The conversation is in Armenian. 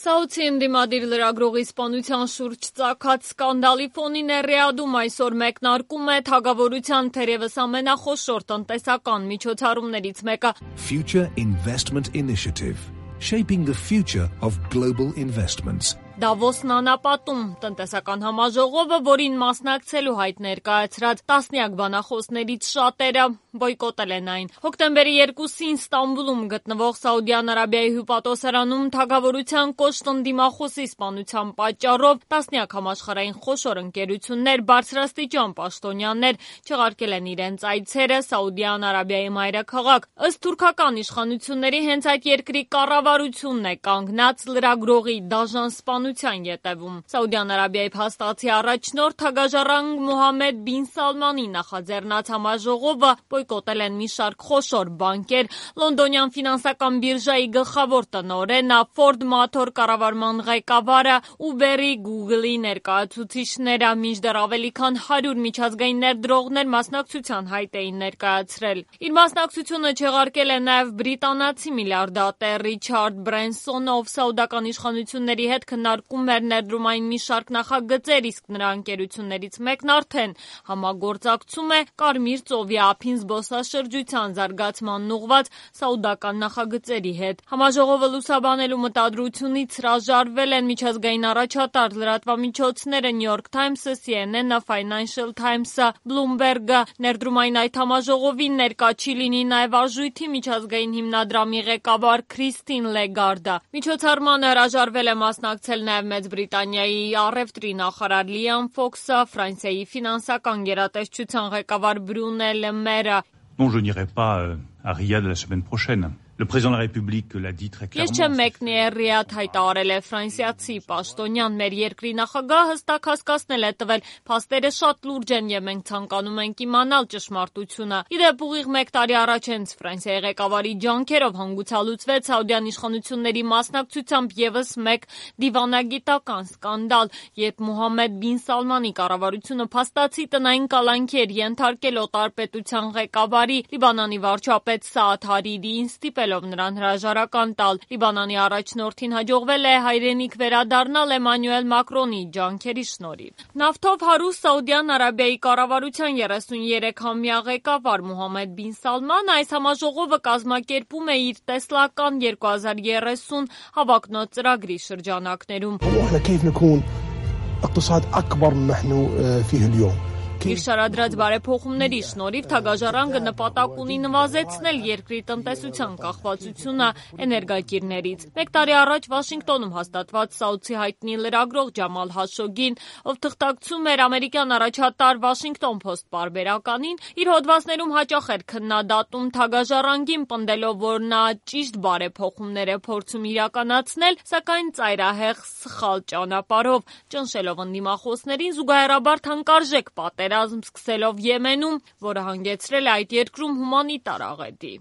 Սաուդի ընդդիմադիր լրագրողի սպանության շուրջ ծագած սկանդալի ֆոնին Ռիադում այսօր մեկնարկում է թագավորության թերևս ամենախոշոր տնտեսական միջոցառումներից մեկը։ Future Investment Initiative, shaping the future of global investments. Դավոսն անապատում տնտեսական համաժողովը, որին մասնակցելու հայտ ներկայացրած տասնյակ բանախոսներից շատերը բոյկոտել են այն։ Հոկտեմբերի 2-ին Ստամբուլում գտնվող Սաուդյան Արաբիայի հյուպատոսարանում թագավորության կոշտ ընդդիմախոսի սպանության պատճառով տասնյակ համաշխարհային խոշոր ընկերություններ, բարձրաստիճան պաշտոնյաներ չեղարկել են իրենց այցերը Սաուդյան Արաբիայի մայրաքաղաք։ Ըստ թուրքական իշխանությունների հենց այդ երկրի կառավարությունն է կանգնած լրագրողի դաժան սպանության ետևում։ Սաուդյան Արաբիայի փաստացի առաջնորդ թագաժառանգ Մոհամմեդ բին Սալմանի նախաձեռնած համաժողովը բոյկոտել են մի շարք խոշոր բանկեր, լոնդոնյան ֆինանսական բիրժայի գլխավոր տնօրենը, Ford Motor կառավարման ղեկավարը, Uber-ի, Google-ի ներկայացուցիչները, մինչդեռ ավելի քան 100 միջազգային ներդրողներ մասնակցության հայտ էին ներկայացրել։ Իր մասնակցությունը չեղարկել է նաև բրիտանացի միլիարդատեր Ռիչարդ Բրենսոնը, ով սաուդական իշխանությունների հետ քննարկում էր ներդրումային մի շարք նախագծեր, իսկ նրա ընկերություններից մեկն արդեն համագործակցում է Կարմիր ծովի ափին զբոսաշրջության զարգացմանն ուղղված սաուդական նախագծերի հետ։ Համաժողովը լուսաբանելու մտադրությունից հրաժարվել են միջազգային առաջատար լրատվամիջոցները New York Times-ը, CNN-ը, Financial Times-ը, Bloomberg-ը։ Ներդրումային այդ համաժողովին ներկա չի լինի նաև արժույթի միջազգային հիմնադրամի ղեկավար Քրիստին Լեգարդը։ Միջոցառմանը հրաժարվել է մասնակցել նաև Մեծ Բրիտանիայի առևտրի նախարար Լիամ Ֆոքսը, Ֆրանսիայի ֆինանսական գերատեսչության ղեկավար Բրունե Լը Մերը։ Non, je n'irai pas à Riyad la semaine prochaine. Le président de la République l'a dit très clairement. Ես չեմ մեկնի Ռիադ, հայտարարել է ֆրանսիացի պաշտոնյան։ Մեր երկրի նախագահը հստակ հասկացնել է տվել, փաստերը շատ լուրջ են եւ մենք ցանկանում ենք իմանալ ճշմարտությունը։ Իդեպ ուղիղ 1 տարի առաջ հենց Ֆրանսիայի ղեկավարի ջանքերով հանգուցալուծվեց Սաուդյան իշխանությունների մասնակցությամբ եւս մեկ դիվանագիտական սկանդալ, երբ Մոհամմեդ բին Սալմանի կառավարությունը փաստացի տնային կալանքի էր ենթարկել օտարպետության ղեկավարի Լիբանանի վարչապետ Սաադ Հարիրիին ստիպելով նրան հրաժարական տալ։ Լիբանանի առաջնորդին հաջողվել է հայրենիք վերադառնալ Էմանուել Մակրոնի ջանքերի շնորհիվ։ Նավթով հարուստ Սաուդյան Արաբիայի կառավարության 33-ամյա ղեկավար Մոհամմեդ բին Սալմանը այս համաժողովը կազմակերպում է իր տեսլական 2030 հավակնոտ ծրագրի շրջանակներում։ Իր շարադրած բարեփոխումների շնորհիվ թագաժառանգը նպատակ ունի նվազեցնել երկրի տնտեսության կախվածությունը էներգակիրներից։ 1 տարի առաջ Վաշինգտոնում հաստատված Սաուդի հայտնի լրագրող Ջամալ Հաշոգին, ով թղթակցում էր ամերիկյան առաջատար Washington Post պարբերականին, իր հոդվածներում հաճախ էր քննադատում թագաժառանգին, պնդելով, որ նա ճիշտ բարեփոխումներ է փորձում իրականացնել, սակայն ծայրահեղ սխալ ճանապարհով, ճնշելով ընդդիմախոսներին զուգահեռաբար թանկարժեք պատերազմ սկսելով Եմենում, որը հանգեցրել է այդ երկրում հումանիտար աղետի։